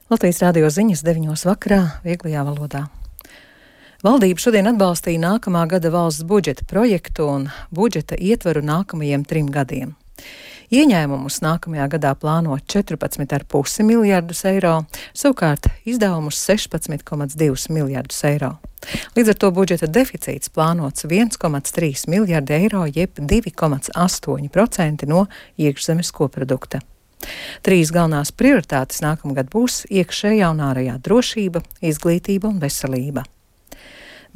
Latvijas radio ziņas 9 vakarā vieglajā valodā. Valdība šodien atbalstīja nākamā gada valsts budžeta projektu un budžeta ietvaru nākamajiem 3 gadiem. Ieņēmumus nākamajā gadā plāno 14,5 miljardus eiro, savukārt izdevumus 16,2 miljardus eiro. Līdz ar to budžeta deficīts plānots 1,3 miljardi eiro, jeb 2,8% no iekšzemes koprodukta. 3 galvenās prioritātes nākamgad būs iekšējā un ārējā drošība, izglītība un veselība.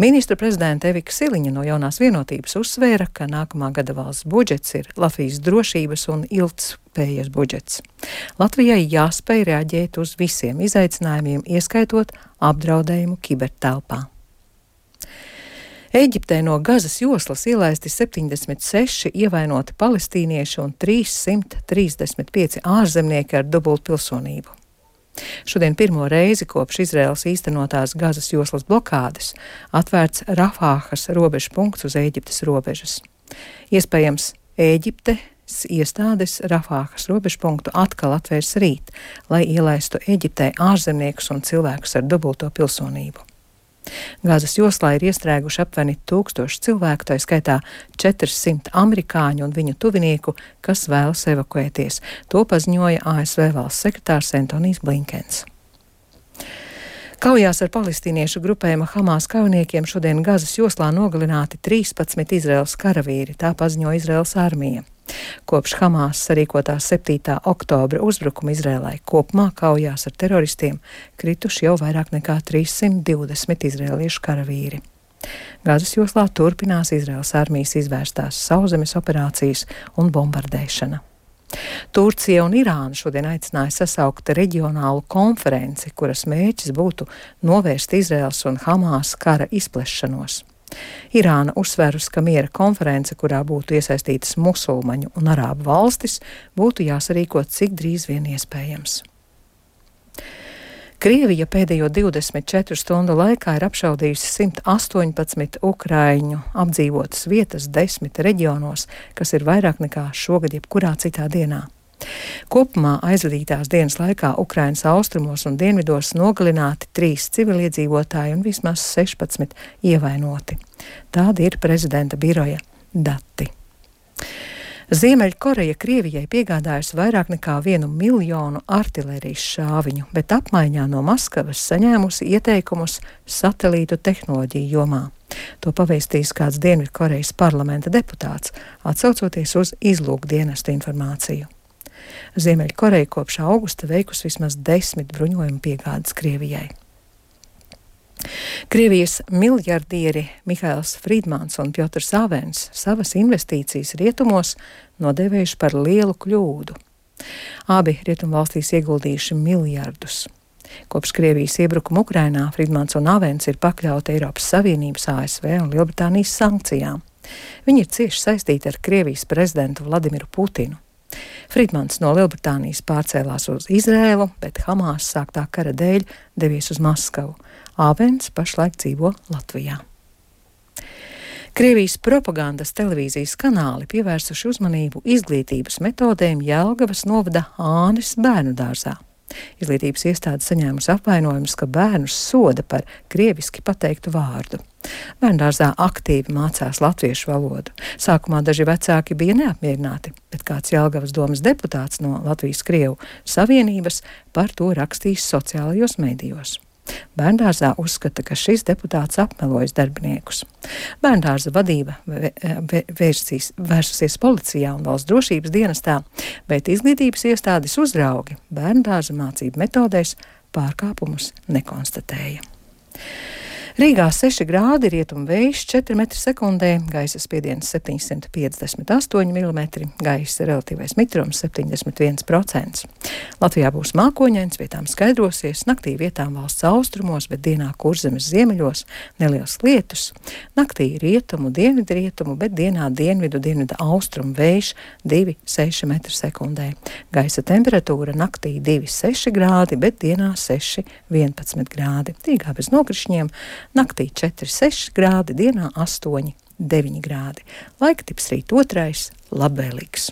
Ministra prezidenta Evika Siliņa no Jaunās vienotības uzsvēra, ka nākamā gada valsts budžets ir Latvijas drošības un ilgtspējas budžets. Latvijai jāspēj reaģēt uz visiem izaicinājumiem, ieskaitot apdraudējumu kibertelpā. Ēģiptē no Gazas joslas ielaisti 76 ievainoti palestīnieši un 335 ārzemnieki ar dubultpilsonību. Šodien pirmo reizi kopš Izraēlas īstenotās Gazas joslas blokādes atvērts Rafāhas robežu punkts uz Ēģiptes robežas. Iespējams, Ēģiptes iestādes Rafāhas robežu punktu atkal atvērs rīt, lai ielaistu Ēģiptē ārzemniekus un cilvēkus ar dubulto pilsonību. Gazas joslā ir iestrēguši aptuveni 1000 cilvēku, tā skaitā 400 amerikāņu un viņu tuvinieku, kas vēlas evakuēties. To paziņoja ASV valsts sekretārs Antonijs Blinkens. Kaujās ar palestīniešu grupējuma Hamas kaujiniekiem šodien Gazas joslā nogalināti 13 Izraēlas karavīri, tā paziņoja Izraēlas armija. Kopš Hamas sarīkotās 7. oktobra uzbrukuma Izrēlai kopumā kaujās ar teroristiem krituši jau vairāk nekā 320 izrēliešu karavīri. Gazas joslā turpinās Izraēlas armijas izvērstās sauszemes operācijas un bombardēšana. Turcija un Irāna šodien aicināja sasaukt reģionālu konferenci, kuras mērķis būtu novērst Izraēlas un Hamas kara izplešanos. Irāna uzsvērus, ka miera konference, kurā būtu iesaistītas musulmaņu un arābu valstis, būtu jāsarīkot cik drīz vien iespējams. Krievija pēdējo 24 stundu laikā ir apšaudījusi 118 ukraiņu apdzīvotas vietas 10 reģionos, kas ir vairāk nekā šogad jebkurā citā dienā. Kopumā aizvadītās dienas laikā Ukrainas austrumos un dienvidos nogalināti 3 civiliedzīvotāji un vismaz 16 ievainoti. Tādi ir prezidenta biroja dati. Ziemeļkoreja Krievijai piegādājusi vairāk nekā 1 miljonu artilērijas šāviņu, bet apmaiņā no Maskavas saņēmusi ieteikumus satelītu tehnoloģiju jomā. To pavēstījis kāds Dienvidkorejas parlamenta deputāts, atsaucoties uz izlūkdienestu informāciju. Ziemeļkoreja kopš augusta veikusi vismaz 10 bruņojumu piegādes Krievijai. Krievijas miljardieri Mihails Friedmans un Pjotrs Avens savas investīcijas rietumos nodēvējuši par lielu kļūdu. Abi rietumvalstīs ieguldījuši miljardus. Kopš Krievijas iebrukuma Ukrainā Friedmans un Avens ir pakļauti Eiropas Savienības, ASV un Lielbritānijas sankcijām. Viņi ir cieši saistīti ar Krievijas prezidentu Vladimiru Putinu. Friedmans no Lielbritānijas pārcēlās uz Izrēlu, bet Hamas sāktā kara dēļ devies uz Maskavu. Avens pašlaik dzīvo Latvijā. Krievijas propagandas televīzijas kanāli pievērsuši uzmanību izglītības metodēm Jelgavas novada Ānes bērnu dārzā. Izglītības iestāde saņēmusi apvainojumus, ka bērnus soda par krieviski pateiktu vārdu. Bērndārzā aktīvi mācās latviešu valodu. Sākumā daži vecāki bija neapmierināti, bet kāds Jelgavas domes deputāts no Latvijas Krievu savienības par to rakstījis sociālajos medijos. Bērndārzā uzskata, ka šis deputāts apmelojas darbiniekus. Bērndārza vadība vērsusies policijā un valsts drošības dienestā, bet izglītības iestādes uzraugi bērndārza mācību metodēs pārkāpumus nekonstatēja. Rīgā 6 grādi, rietumu vējš 4 m/sekundē, gaisa spiediens 758 mm, gaisa relatīvais mitrums 71%. Latvijā būs mākoņains, vietām skaidrosies, naktī vietām valsts austrumos, bet dienā Kurzemes ziemeļos neliels lietus. Naktī rietumu, dienvidrietumu, bet dienā dienvidu austrumu vējš 2,6 m/sekundē. Gaisa temperatūra naktī 2,6 grādi, bet dienā 6,11 grādi. Rīgā bez nokrišņiem. Naktī 4,6 grādi, dienā 8,9 grādi. Laika tips rīt 2. labvēlīgs.